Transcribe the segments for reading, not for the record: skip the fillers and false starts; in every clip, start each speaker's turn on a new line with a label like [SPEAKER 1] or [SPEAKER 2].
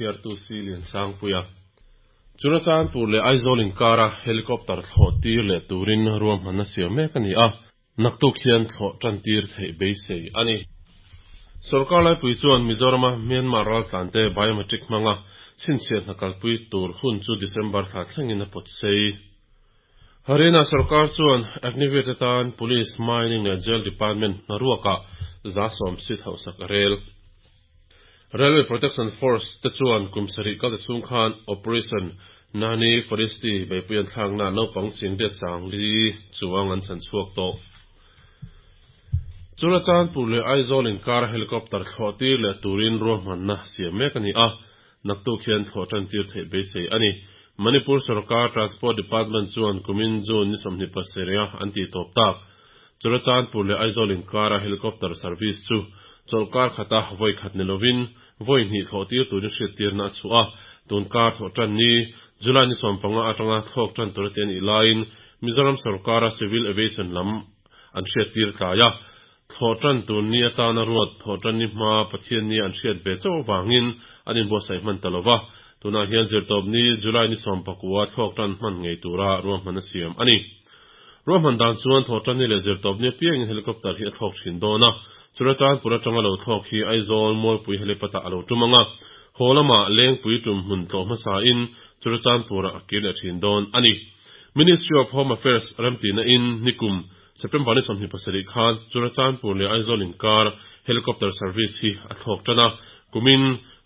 [SPEAKER 1] chhiartu si Liansangpuia. Churachandpur leh Aizawl inkara helicopter thlawh tir leh turin ruahmanna siam mek a ni a, naktuk hian thlawh tan tir theih beisei a ni. Sorkar laipui chuan Mizorama Myanmar raltlante biometric hmanga chhinchhiah hna kalpui tur hun chu December thla thlengin a pawt sei. Haryana sorkar chuan Agniveer te tan Police, Mining leh Jail Department hnaruakah 10% seat hauhsak a rel. Railway Protection Force te chuan kum sarih kal ta chhung khan Operation Nani Foresti beihpui an thlakna naupang 84,000 chuang an chhan chhuak tawh. Churachandpur leh Aizawl inkar helicopter thlawh tir leh turin ruahmanna siam mek a ni a, naktuk hian thlawh tan tir theih beisei a ni. Manipur sorkar Transport Department chuan kumin June ni 27 an tih tawp tak. Churachandpur leh Aizawl inkara helicopter service chu chawlhkar khata vawi khat ni lovin vawi hnih thlawh tir turin hriattirna a chhuah a, tun kar thlawh tan ni July ni 15 atanga thlawk tan tur ati a nih laiin Mizoram sorkara Civil Aviation lam an hriattir tlai a, thlawh tan tur ni atana ruat thlawh tan ni hma Pathian ni an hriat ve chauh avangin an inbuatsaih hman ta lova, tunah hian zirtawp ni July ni 19 thlawk tan hman ngei tura ruahman a siam a ni. Ruahman dan chuan thawhtanni leh zirtawpni apiangin helicopter hi a thlawk thin dawn a, Churachandpur atanga lo thlawk hi Aizawl Mualpui helipad ah a lo tum ang a, haw lamah Lengpui tum hmun tlawh hmasain Churachandpurah a kir leh thin dawn a ni. Ministry of Home Affairs remtihna in nikum September ni 27 khan Churachandpur leh Aizawl inkar helicopter service hi a thlawk tan a, kumin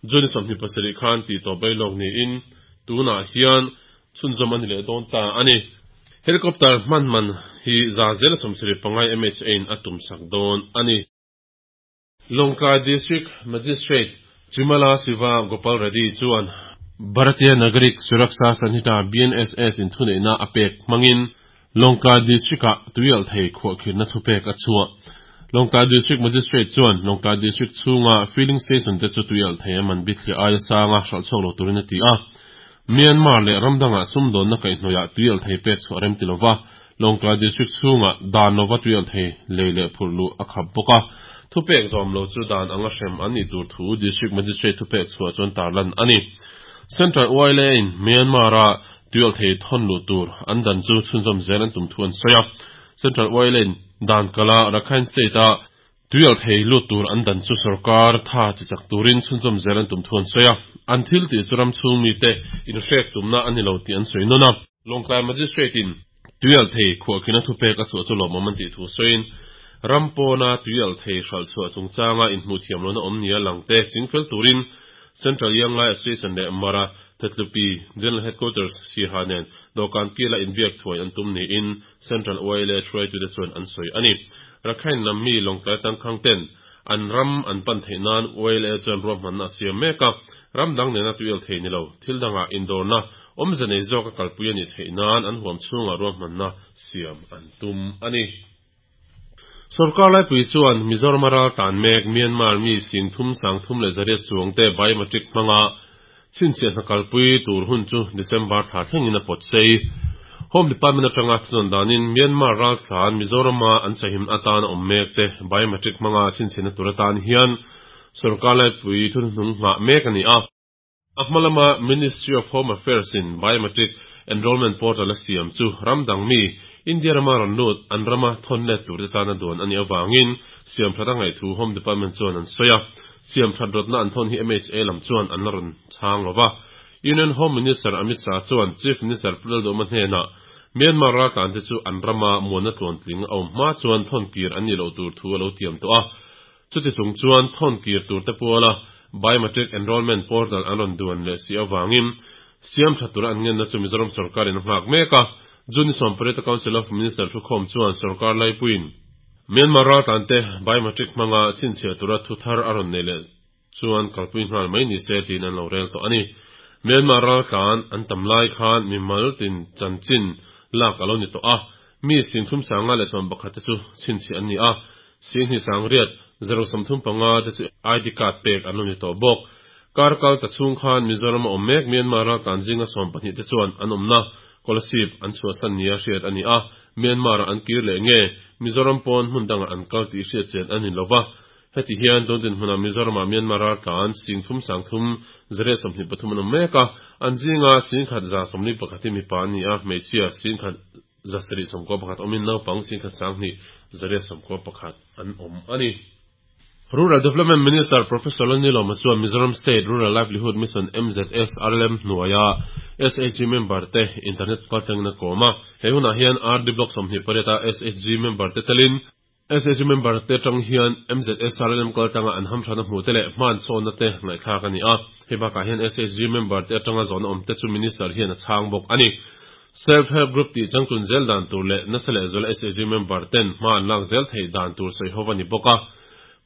[SPEAKER 1] June ni 27 khan tihtawp bailawk niin tunah hian chhunzawm a ni leh dawn ta a ni. Helicopter hman man hi 75% MHA in a tum sak dawn a ni. Lawngtlai District Magistrate Chimala Siva Gopal Reddy chuan Bharatiya Nagarik Suraksha Sanhita, BNSS, in thuneihna a pek hmangin Lawngtlai District-ah tuialh thei khuahkhirhna thupek a chhuah. Lawngtlai District Magistrate chuan Lawngtlai District chhunga filling station te chu tuialh thei a man bithliah aia sanga hralh chhuak lo turin a ti a. Myanmar leh ram dangah sumdawnna kaihhnawihah tuialh thei pek chhuah rem ti lova, Lawngtlai District chhungah dan lova tuialh thei lei leh phurh luh a khap bawk a. Thupek zawm lo chu dan anga hrem an nih tur thu District Magistrate thupek chhuah chuan tarlan a ni. Central YLA in Myanmar-a tuialh thei thawn luh tur an dan chu chhunzawm zel an tum thu an sawi a. Central YLA in dan kala Rakhine State-a Tuialh thei lut tur an dan chu sorkar tha chi chak turin chhunzawm zel an tum thu an sawi a, an thil tih chu ram chhung mite inhrek tumna a ni lo tih an sawi nawn a. Lawngtlai Magistrate in tuialh thei khuahkhina thupek a chhuah chu lawmawm an tih thu sawiin, ram pawna tuialh thei hralh chhuah chungchanga inhmuh thiam lohna awm nia langte chingfel turin Central Young Lai Association leh Mara Thatlupi General Headquarters Siaha nen dawhkan kila inbiak thuai an tum niin Central YLA hruaitute chuan an sawi a ni. Rakhine lam mi Lawngtlai tangkhang ten an ram an pan theih nan YLA chuan ruahmanna a siam mek a, ram dang nena tuial thei ni lo, thil dangah indawrna awmze nei zawka kalpui a nih theih nan an huam chhungah ruahmanna siam an tum a ni. Sorkar laipui chuan Mizoram a ral tan mek Myanmar mi 338 chuangte biometric hmanga chhinchhiah hna kalpui tur hun chu December thla thlengin a pawt sei. Home Department atanga thunawn danin Myanmar ral tlan Mizorama an sahim atan a awm mek te biometric hmanga chhinchhiahna tur atan hian sorkar laipui thuhnuhnung nghah mek a ni a. A hma lama Ministry of Home Affairs in Biometric Enrolment Portal a siam chu ram dang mi, India rama rawn lut, an rama thawn let turte tana duan a nih avangin siam that a ngaih thu Home Department chuan an sawi a. Siam that rawtna an thawn hi MHA lam chuan an la rawn chhang lo va. Union Home Minister Amit Shah chuan Chief Minister Pu Lalduhoma hnenah Myanmar raltlante chu an rama muanna tluantling a awm hma chuan thawn kir an nih loh tur thu a lo tiam tawh a. Chuti chung chuan thawn kir turte puala Biometric Enrolment Portal an rawn duan leh si avangin siam tha tura an ngenna chu Mizoram sorkarin a nghak mek a. June ni 18 a Council of Minister thukhawm chuan sorkar laipuiin Myanmar raltlante biometric hmanga chhinchhiah tura thu thar a rawn nei leh chuan kalpui nghal mai ni se tiin an lo rel tawh a ni. Myanmar raltlan an tam lai khan mimal tin chanchin lak a lo ni tawh a, mi 351 te chu chhinchhiah an ni a, 2835 te chu ID card pek an lo ni tawh bawk. Kar kal ta chhung khan Mizoram a awm mek Myanmar raltlan zinga 12 te chuan an awmna Kolasib an chhuahsan nia hriat a ni a, Myanmar-ah an kir leh nge Mizoram pawn hmun dangah an kal tih hriat chian an ni lo va. Heti hian tun dinhmunah Mizoramah Myanmar raltlan 33,323 an awm mek a, an zinga 1,141 hi mipa an ni a, hmeichhia 1,791 awmin naupang 1,291 an awm a ni. Rural Development Minister Professor Lalnilawma chuan Mizoram State Rural Livelihood Mission, MZSRLM, hnuaia SHG member te internet kaltlangin a kawm a. He hunah hian RD Block 28 a SHG member te telin SHG member te atang hian MZSRLM kaltlanga an hamthrana hmuh te leh hmansawnna te ngaihthlak a ni a. Hei bakah hian SHG member te atanga zawhna awm te chu Minister hian a chhang bawk a ni. Self Help Group tih changtlun zel dan tur leh nasa leh zuala SHG member ten hma an lak zel theih dan tur sawi ho a ni bawk a.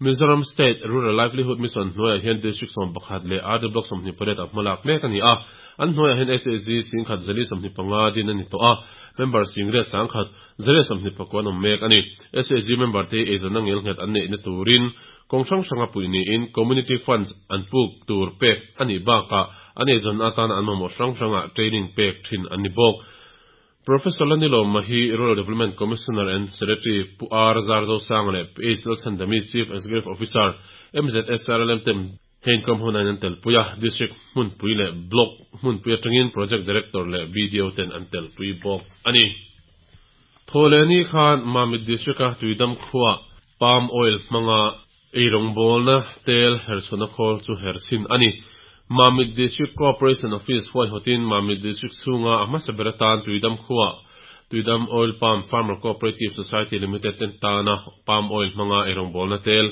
[SPEAKER 1] Mizoram State Rural Livelihood Mission hnuaiah hian District 11 leh RD Block 28 a hmalak mek a ni a. An hnuaiah hian SHG 1125 din a ni tawh a, member 11,129 an awm mek a ni. SHG member te hi eizawnna ngelnghet an neihna turin kawng hrang hranga puih niin Community Funds an puk tur pek a nih bakah an eizawnna atana an mamawh hrang hrangah training pek thin an ni bawk. Professor Lanilawma hi Rural Development Commissioner and Secretary Pu R Zarzosanga leh Pu H Lalchhandami Chief Executive Officer MZSRLM ten he inkawm hun aiin an telpui a, District hmunpui leh Block hmunpui atangin Project Director leh BDO ten an telpui bawk a ni. Thawhlehni khan Mamit District-a Tuidam khuaa Palm Oil hmanga Eirawngbawlna tel herchhuahna khawl chu herchhin a ni. Mamit District Cooperation Office huaihawtin Mamit District chhunga a hmasa ber atan Tuidam khuaa Tuidam Oil Palm Farmer Cooperative Society Limited te tana palm oil hmanga eirawngbawlna tel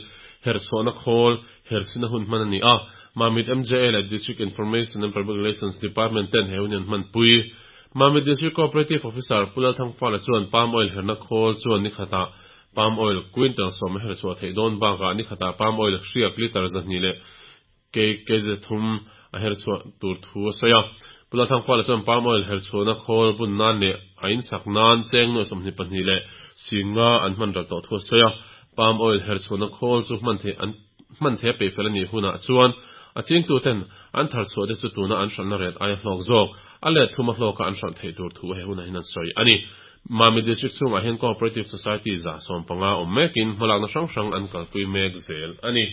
[SPEAKER 1] herchhuahna khawl herchhina hun hman a ni a. Mamit MJA leh District Information and Public Relations Department ten he hun hi an hmanpui. Mamit District Cooperative Officer Pu Lalthangfala chuan palm oil herna khawl chuan ni khatah Palm oil quintal sawm a her chhuah theih dawn bakah ni khatah palm oil hriak litre 200 leh kg thum a her chhuah tur thu a sawi a. Pu Lalthangfala chuan palm oil her chhuahna khawl bun nan leh a insak nan cheng nuai 22 leh 50 an hman ral tawh thu a sawi a. Palm oil her chhuahna khawl chu hman theih an hman theih a peih fel a nih hunah chuan a chingtuten an thar chhuah te chu tuna an hralhna ret aia hlawk zawk a let thum a hlawka an hralh theih tur thu he hunah hian an sawi a ni. Mami District chhungah hian Cooperative Society 150 awm mekin hmalakna hrang hrang an kalpui mek zel a ni.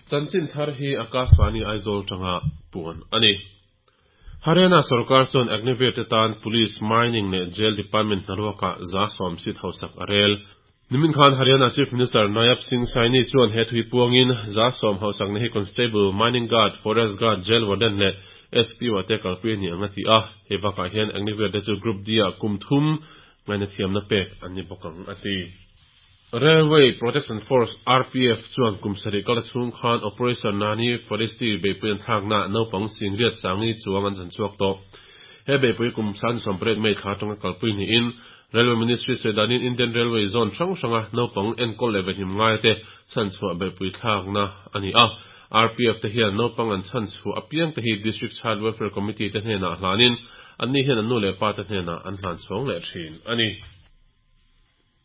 [SPEAKER 1] Chanchin thar hi Akashvani Aizawl tanga puan a ni. Haryana sorkar chuan Agniveer te tan Police, Mining leh Jail Department hnaruakah 10% seat hausak a rel. Nimin khan Haryana Chief Minister Nayab Singh Saini chuan he thui puangin 10% hausakna hi Constable, Mining Guard, Forest Guard, Jail Warden leh SPO te kalpui a ni ang a ti a, hei bakah hian Agniveer te chu Group D ah kum thum ngaihna thiamna pek an ni bawk ang a ti. Railway Protection Force, RPF, chuan kum sarih kal chhung khan Operation Nani Forestry beihpui an thlaknaah naupang 8,000 sangi chuang an chanchhuak tawh. He beihpui kum 28 May thla atanga kalpui niin Railway Ministry sawi danin Indian Railway zone hrang hranga naupang enkawl leh vehnim ngaite chhanchhuah beihpui thlakna a ni a. RPF te hian naupang an chhanchhuah apiang te hi District Child Welfare Committee te hnenah hlanin anni hian an nu leh pa te hnenah an hlan chhawng leh thin a ni.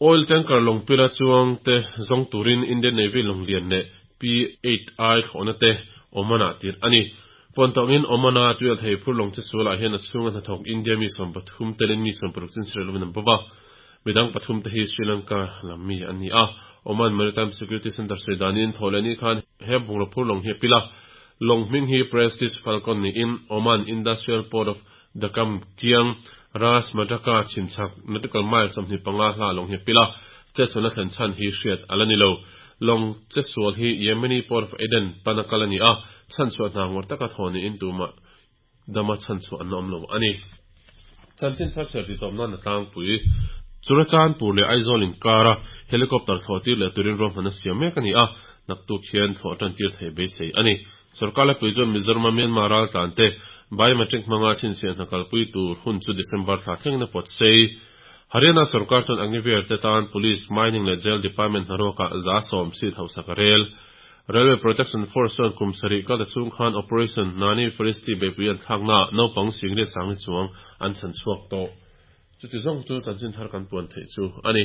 [SPEAKER 1] Oil tanker lawng pila chuang te zawng turin Indian Navy lawng lian leh P-8I thlawhna te Oman-ah tirh a ni. Pawn tawngin Oman-a tuial thei phur lawng che sualah hian a chhunga hnathawk India mi 13 telin mi 60 chin Sri Lanka an bo va. Midang pathum te hi Sri Lanka lam mi an ni a. Oman Maritime Security Centre sawi danin thaw leh ni khan he bungraw phur lawng hi a pil a. Lawng hming hi Prestige Falcon niin Oman Industrial Port of Dakam kiang Ras Madaka chhimchhak nautical mile 25 hla lawng hi a pil a. Chetsualna thlen chhan hi hriat a la ni lo. Lawng chetsual hi Yemeni Port of Aden pana kal a ni a. Chhanchhuah hna ngawr taka thaw niin tumah dama chhanchhuah an awm lo a ni. Chanchin thar chhiar titawp nan a tlangpui. Churachandpur leh Aizawl inkara helicopter thlawh tir leh turin ruahmanna siam mek a ni a, naktuk hian thlawh tan tir theih beisei a ni. Sorkar laipui chuan Mizoram-a Myanmar raltlan te biometric hmanga chhinchhiah hna kalpui tur hun chu December thla thlengin a pawt sei. Haryana sorkar chuan Agniveer te tan Police, Mining leh Jail Department hnaruakah 10% seat hausak a rel. Railway Protection Force chuan kum sarih kal ta chhung khan Operation Nani Faristi beihpui an thlaknaah naupang 8,000 chuang an chhan chhuak tawh. Chuti zawng chu chanchin thar kan puan theih chu a ni.